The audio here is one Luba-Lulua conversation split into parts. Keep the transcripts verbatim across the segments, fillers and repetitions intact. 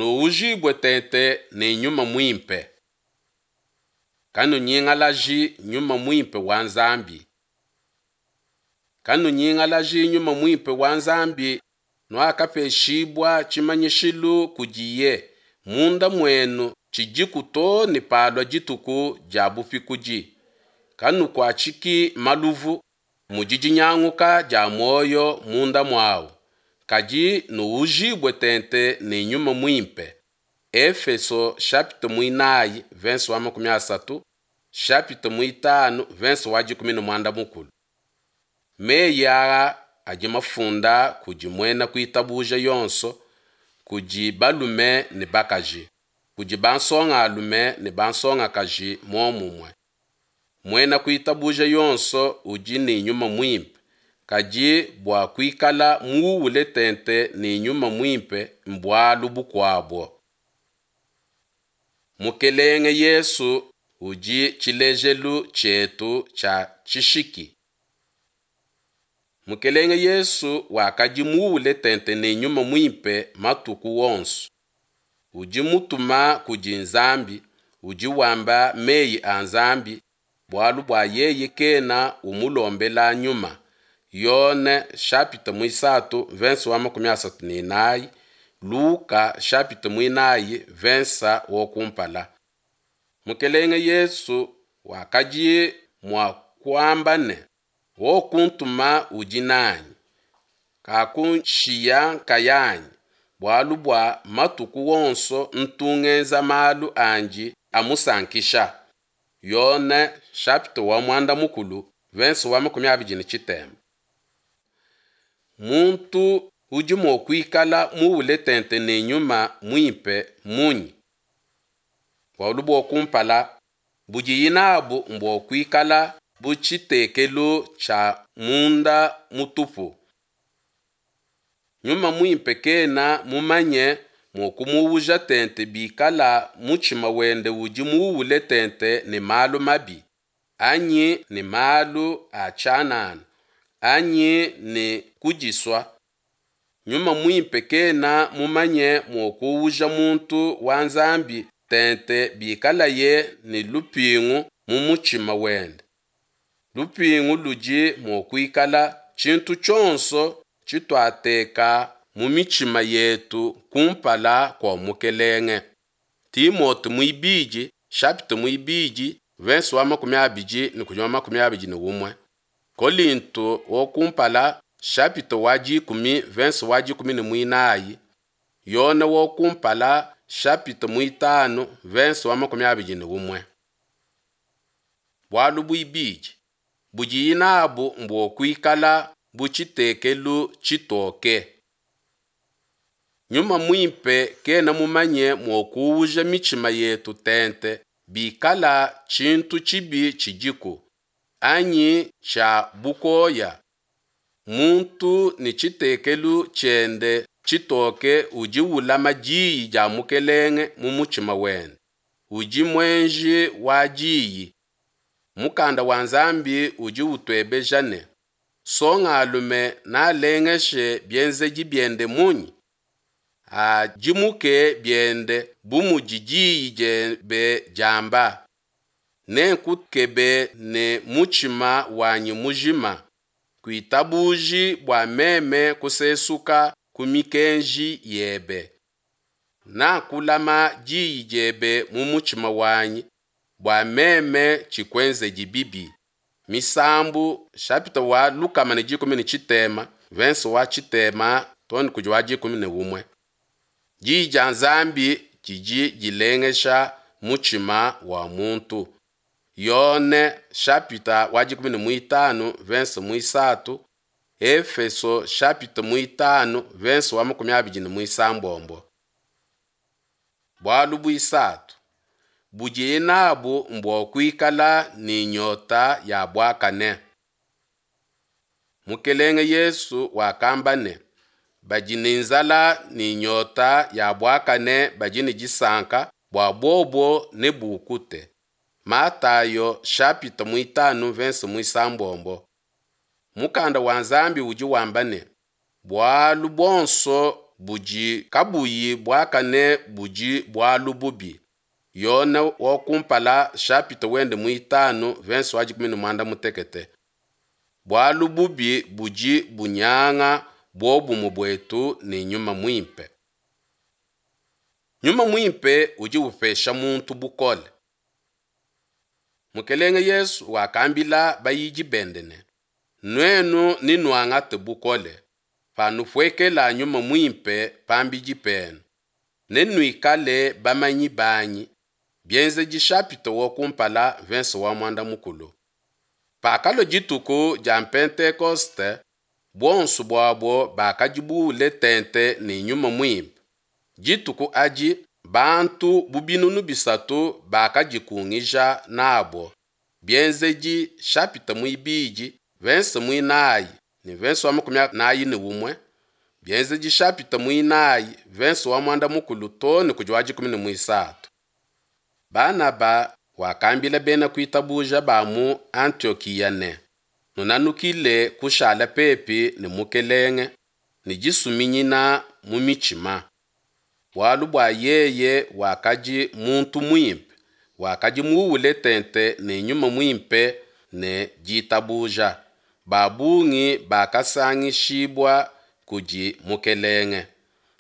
Nuujibue tente ne Nyuma Muimpe. Kanunyingalaji Nyuma Muimpe wa Nzambi. Kanunyingalaji Nyuma Muimpe wa Nzambi nuakapeshibua tshimanyishilu kudiye munda muenu tshidiku too ne palua dituku dia bupikudi. Kanukuatshiki maluvu, mudi dinyanguka dia muoyo munda muawu, kadi nuujibue tente ne Nyuma Muimpe. Efeso chapitre muinayi verse wa makumi asatu, chapitre muitanu verse wa dikumi ne muanda mukulu. Meyi aa adi mafunda kudi muena kuitabuja yonso, kudi balume ne bakaji, kudi bansongalume ne bansongakaji muomumue. Muena kuitabuja yonso udi ne Nyuma Muimpe, kadi bua kuikala muule tente ne Nyuma Muimpe mbualu bukuabo. Mukelenge Yesu udi tshilejelu tshietu tshia tshishiki. Mukelenge Yesu wakadi muule tente ne Nyuma Muimpe matuku onso. Udi mutuma kudi Nzambi, udi wamba meyi a Nzambi, bualu bua yeye kena umulombela Nyuma. Yone chapitre muisatu verse wa makumi asatu ne inayi, Luka chapitre muinayi verse wa kumpala. Mukelenge Yesu wakadi mua kuamba ne, Wokuntuma udi nanyi, kakunshiya nkayanyi, bualu bua matuku onso ntu ngenza malu andi amusankisha. Yone chapitre wa muanda mukulu verse wa makumi abidi ne tshitema. Muntu udi mua kuikala muule tente ne Nyuma Muimpe munyi? Bualu bua kumpala budiyi nabu mbua kuikala bu tshitekelu tshia munda mutupu. Nyuma Muimpe kena mumanye mua kumuuja tente bikala mutshima wende udi muule tente ne malu mabi, anyi ne malu a tshianana, anyi ne kudisua. Nyuma Muimpe kena mumanye mua kuuja muntu wa Nzambi tente bikalaye ne lupingu mu mutshima wende. Lupingu ludi mua kuikala tshintu tshionso tshituateka mu mitshima yetu kumpala kua Mukelenge. Timote muibidi chapitre muibidi verse wa makumi abidi ne kudi wa makumi abidi ne umue. Kolinto wa kumpala chapitre wa dikumi verse wa dikumi ne muinayi. Yone wa kumpala chapitre muitanu verse wa makumi abidi ne umue. Bualu buibidi budiyi nabu mbua kuikala bu tshitekelu tshitoke. Nyuma Muimpe kena mumanye mua kuuja mitshima yetu tente bikala tshintu tshibi tshidiku, anyi tshia bukoya. Muntu ne tshitekelu tshiende tshitoke udi ulama diyi dia Mukelenge mu mutshima wende. Udi muenji wa diyi. Mukanda wa Nzambi udi utuebeja ne, Nsongalume nalengeshe bienzedi biende munyi? Adimuke biende bu mudi diyi diebe diamba. Nenkukebe ne mutshima wanyi mujima, kuitabuji bua meme kusesuka ku mikenji yebe. Nakulama diyi diebe mu mutshima wanyi, bua meme tshikuenzedi bibi. Misambu chapitre wa lukama ne dikumi ne tshitema verse wa tshitema too ne kudi wa dikumi ne umue. Diyi dia Nzambi didi dilengesha mutshima wa muntu. Yone chapitre wa dikumi ne muitanu verse muisatu, Efeso chapitre muitanu verse wa makumi abidi ne muisambombo. Bualu buisatu budiye nabu mbua kuikala ne nyota ya buakane. Mukelenge Yesu wakamba ne, badi ne nzala ne nyota ya buakane badi ne disanka bua bobo nebukute. Matayo chapitre muitanu verse muisambombo. Mukanda wa Nzambi udi wamba ne, bualu buonso budi kabuyi buakane budi bualu bubi. Yone wa kumpala chapitre wende muitanu verse wa dikumi ne muanda mutekete. Bualu bubi budi bunyanga buobumue buetu ne Nyuma Muimpe. Nyuma Muimpe udi upesha muntu bukole. Mukelenge Yesu wakambila bayidi bende ne, Nuenu nenuangate bukole, panupuekela Nyuma Muimpe pambidi penu, nenuikale bamanyi banyi. Bienzedi chapitre wa kumpala verse wa muanda mukulu. Pakalua dituku dia Pentekoste, buonso buabo bakadi buule tente ne Nyuma Muimpe. Dituku adi bantu bu binunu bisatu bakadikungija nabo. Bienzedi chapitre muibidi verse muinayi ne verse wa makumi anayi ne umue. Bienzedi chapitre muinayi verse wa muanda mukulu too ne kudi wa dikumi ne muisatu. Banaba wakambila bena kuitabuja ba mu Antiokiya ne, Nunanukile kushala pepi ne Mukelenge ne disuminyina mu mitshima. Bualu bua yeye wakadi muntu muimpe, wakadi muule tente ne Nyuma Muimpe ne ditabuja. Ba bungi bakasangishibua kudi Mukelenge.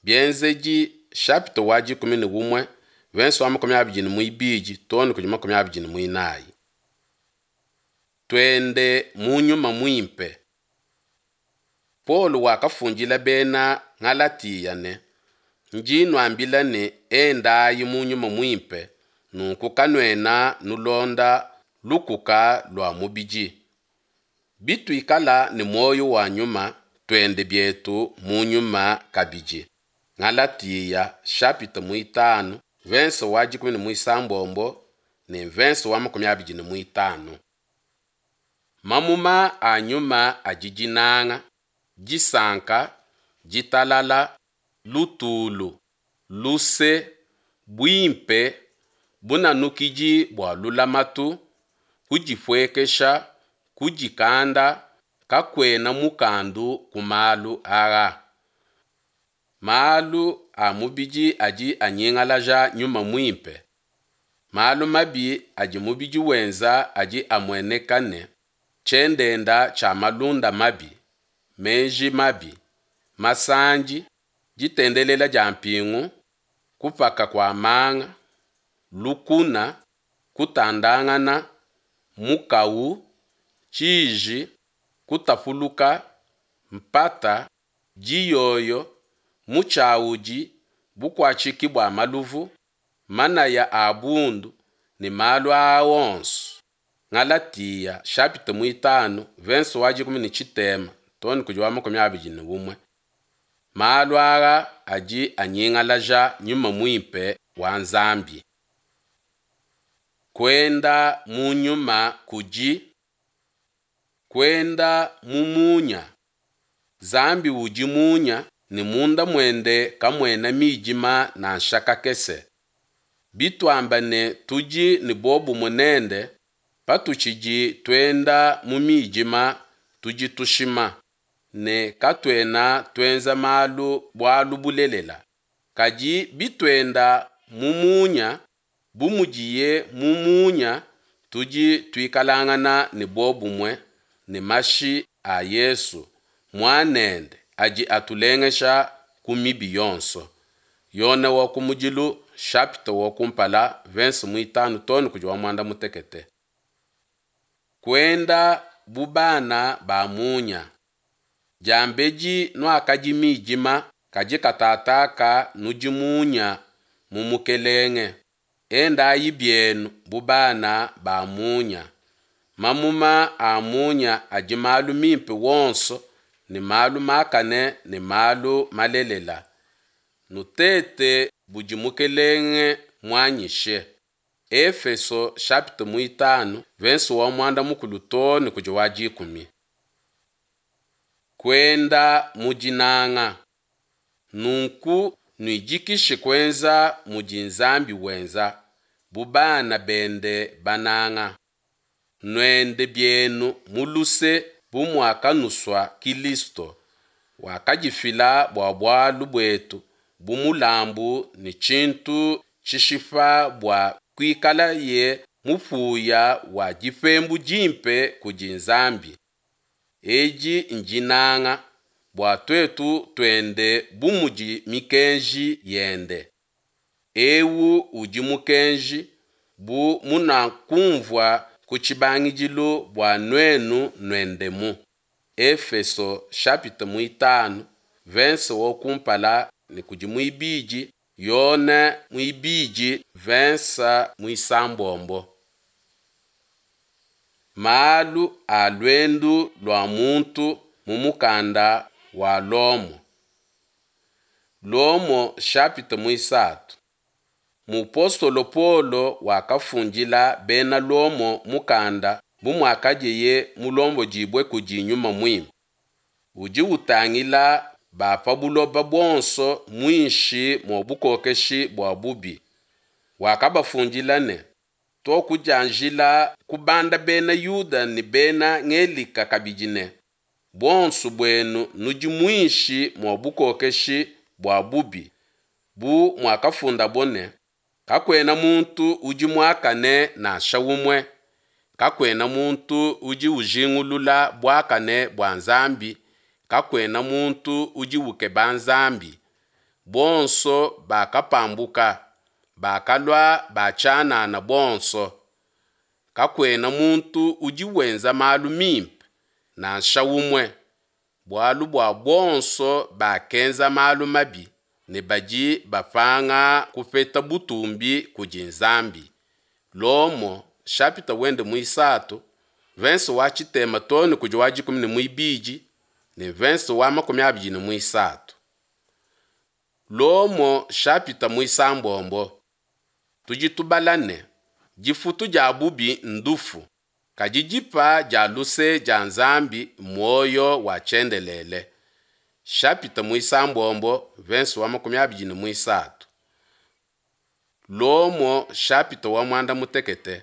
Bienzedi chapitre wa dikumi ne umue verse wa makumi abidi ne muibidi too ne kudi makumi abidi ne muinayi. Tuende mu Nyuma Muimpe. Paulo wakafundila bena Galatia ne, Ndi nuambila ne endayi mu Nyuma Muimpe, nunku kanuena nulonda lukuka lua mubidi. Bituikala ne muoyo wa nyuma, tuende bietu mu nyuma kabidi. Galatia chapitre muitanu verse wa dikumi ne muisambombo ne verse wa makumi abidi ne muitanu. Mamuma a nyuma adi dinanga, disanka, ditalala, lutulu, luse, buimpe, bunanukidi bua lulamatu, kudipuekesha, kudikanda, kakuena mukandu ku malu aa. Malu a mubidi adi anyingalaja Nyuma Muimpe. Malu mabi adi mubidi wenza adi amueneka ne, tshiendenda tshia malunda mabi, meji mabi, masandi, ditendelela dia mpingu, kupaka kua manga, lukuna, kutandangana, mukawu, tshiji, kutapuluka, mpata, diyoyo, mutshiawudi, bukuatshiki bua maluvu, manaya a bundu ne malu aa onso. Galatia chapitre muitanu verse wa dikumi ne tshitema too ne kudi wa makumi abidi ne umue. Malu aa adi anyingalaja Nyuma Muimpe wa Nzambi. Kuenda mu nyuma kudi kuenda mu munya. Nzambi udi munya ne munda muende kamuena midima nansha kakese. Bituamba ne tudi ne buobumue nende, patutshidi tuenda mu midima tudi tushima, ne katuena tuenza malu bualu bulelela. Kadi bituenda mu munya, bu mudiye mu munya, tudi tuikalangana ne buobumue ne mashi a Yesu, Muanende, adi atulengesha ku mibi yonso. Yone wa kumudilu chapitre wa kumpala verse muitanu too ne kudi wa muanda mutekete. Kuenda bu bana ba munya. Diambedi nuakadi midima, kadi katataka nudi munya mu Mukelenge. Endayi bienu bu bana ba munya. Mamuma a munya adi malu mimpe wonso ne malu makane ne malu malelela. Nutete budi Mukelenge muanyishe. Efeso chapitre muitanu verse wa muanda mukulu too ne kudi wa dikumi. Kuenda mu dinanga. Nunku nuidikishe kuenza mudi Nzambi wenza, bu bana bende bananga. Nuende bienu mu luse bu muakanusua Kilisto, Wakadifila bua bualu buetu bu mulambu ne tshintu tshishipa bua kuikalaye mupuya wa dipembu dimpe kudi Nzambi. Edi ndinanga, bua tuetu tuende bu mudi mikenji yende. Eu udi mukenji, bu munakunvua ku tshibangidilu bua nuenu nuendemu. Efeso chapitre muitanu, verse wa kumpala ne kudi muibidi, Yone muibidi verse muisambombo. Malu a luendu lua muntu mu mukanda wa Lomo. Lomo chapitre muisatu. Mupostolo Paulo wakafundila bena Lomo mukanda bu muakadiye mulombodibue kudi Nyuma Muimpe. Udi utangila ba pa buloba buonso muinshi mua bukokeshi bua bubi. Wakabafundila ne, Tuakudianjila kubanda bena Yuda ne bena Ngelika kabidi ne, buonso buenu nudi muinshi mua bukokeshi bua bubi, bu muakafundabo ne, kakuena muntu udi muakane nansha umue, kakuena muntu udi ujingulula buakane bua Nzambi, kakuena muntu udi ukeba Nzambi. Bonso bakapambuka, bakalua ba tshianana bonso. Kakuena muntu udi wenza malu mimpe, nansha umue. Bualu bua bonso bakenza malu mabi ne badi bapanga kupeta butumbi kudi Nzambi. Lomo chapitre wende muisatu, verse wa tshitema too ne kudi wa dikumi ne muibidi ne verse wa makumi abidi ne muisatu. Lomo chapitre muisambombo. Tudi tubala ne, difutu dia bubi ndufu, kadi dipa dia luse dia Nzambi muoyo wa tshiendelele. Chapitre muisambombo, verse wa makumi abidi ne muisatu. Lomo chapitre wa mwanda mutekete.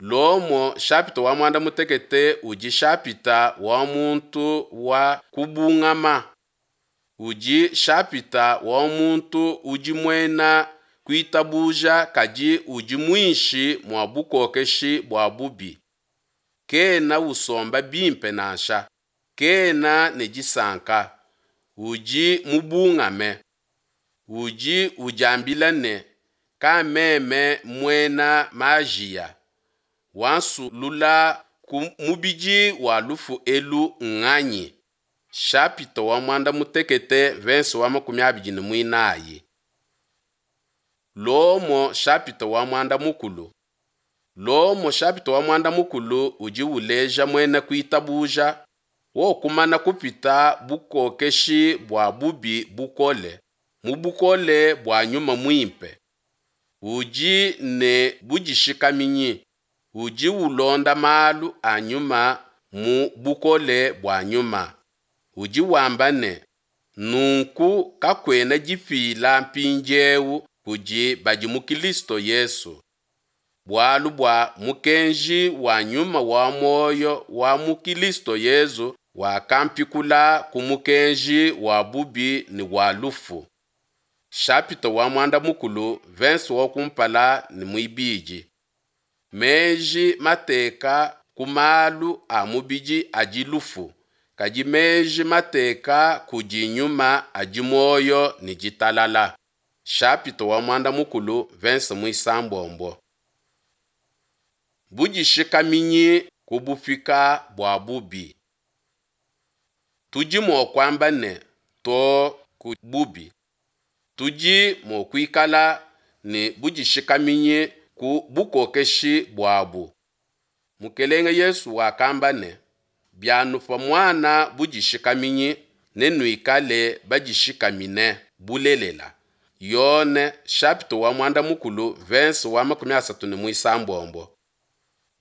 Lomo chapitre wa mwanda mutekete udi chapitre wa muntu wa kubungama. Udi chapitre wa muntu udi muena kuitabuja kadi udi muinshi mua bukokeshi bua bubi. Kena usomba bimpe nansha, kena ne disanka, udi mubungame. Udi udiambila ne, kameme muena majiya, wansulula ku mubidi wa lufu elu nganyi? Chapitre wa mwanda mutekete verse wa makumi abidi ne muinayi. Lomo chapitre wa mwanda mukulu. Lomo chapitre wa mwanda mukulu udi uleja muena kuitabuja wokumana kupita bukokeshi bua bubi bukole mu bukole bua nyuma muimpe. Udi ne budishikaminyi, udi ulonda malu a nyuma mu bukole bua nyuma. Udi wamba ne, nunku kakuena dipila mpindieu kudi badi mu Kristo Yesu. Bualu bua mukenji wa nyuma wa muoyo wa mu Kristo Yesu wakampikula ku mukenji wa bubi ne wa lufu. Chapitre wa mwanda mukulu, verse wa kumpala ne muibidi. Meji mateka ku malu a mubidi adi lufu, kadi meji mateka kudi nyuma adi muoyo ne ditalala. Chapitre wa mwanda mukulu, verse muisambombo. Budishikaminyi ku bupika bua bubi. Tudi mua kuamba ne to ku bubi. Tudi mua kuikala ne budishikaminyi ku bukokeshi buabu. Mukelenge Yesu wakamba ne, bianupa muana budishikaminyi, nenuikale badishikamine bulelela. Yone chapitre wa mwanda mukulu, verse wa makumi asatu ne muisambombo.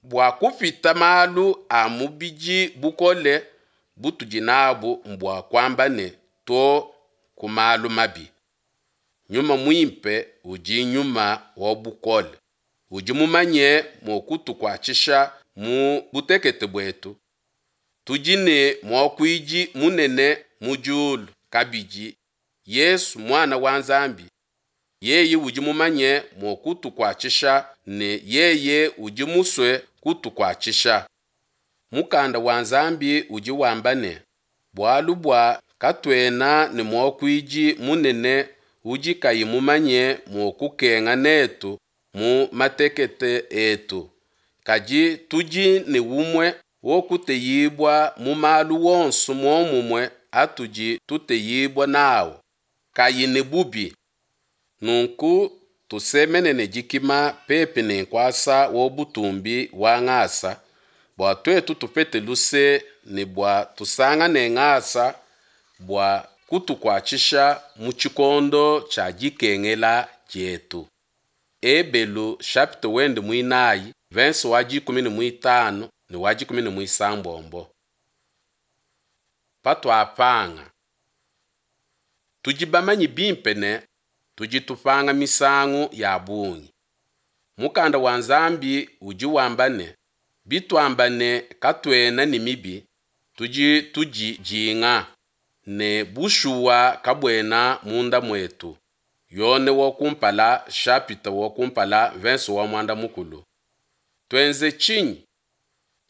Bua kupita malu a mubidi bukole butudi nabu mbua kuamba ne to ku malu mabi. Nyuma muimpe udi nyuma wa bukole. Udi mumanye mua kutukuatshisha mu butekete buetu. Tudi ne muakuidi munene mu diulu kabidi Yesu muana wa Nzambi, yeye udi mumanye mua kutukuatshisha ne yeye udi musue kutukuatshisha. Mukanda wa Nzambi udi wamba ne, Bualu bua katuena ne muakuidi munene udi kayi mumanye mua kukenga netu mu matekete etu, kadi tudi ne umue wokuteyibua mu malu wonso muomumue atudi tuteyibua nawu, kayi ne bubi. Nunku tusemene ne dikima pepi ne nkuasa wa butumbi wa ngasa, bua tuetu tupete luse ne bua tusangane ngasa bua kutukuatshisha mu tshikondo tshia dikengela dietu. Ebelu chapitre wende muinayi, verse wa dikumi ne muitanu ne wa dikumi ne muisambombo. Patuapanga, tudi bamanye bimpe ne tudi tupanga misangu ya bungi. Mukanda wa Nzambi udi wamba ne, bituamba ne katuena ne mibi, tudi tudidinga, ne bushuwa kabuena munda muetu. Yone wa kumpala chapitre wa kumpala verse wa muanda mukulu. Tuenze tshinyi?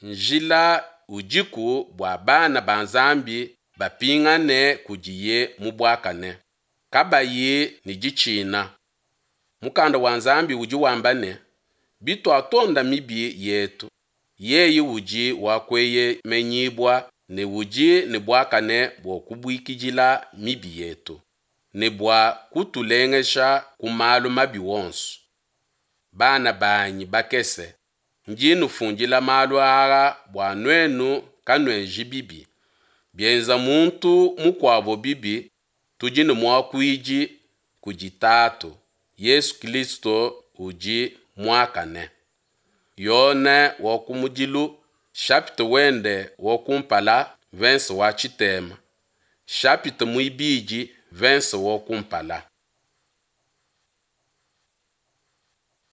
Njila udiku bua bana ba Nzambi bapingane kudiye mu buakane, kabayi ne ditshina. Mukanda wa Nzambi udi wamba ne, bituatonda mibi yetu, yeye udi wa kueyemenyibua ne udi ne buakane bua kubuikidila mibi yetu, ne bua kutulengesha ku malu mabi wonso. Bana banyi bakese, ndi nufundila malu aa bua nuenu kanuenji bibi. Bienza muntu mukuabo bibi, tudi ne muakuidi kudi Tatu, Yesu Kristo udi muakane. Yone wa kumudilu chapitre wende wa kumpala verse wa tshitema, chapitre muibidi verse wa kumpala.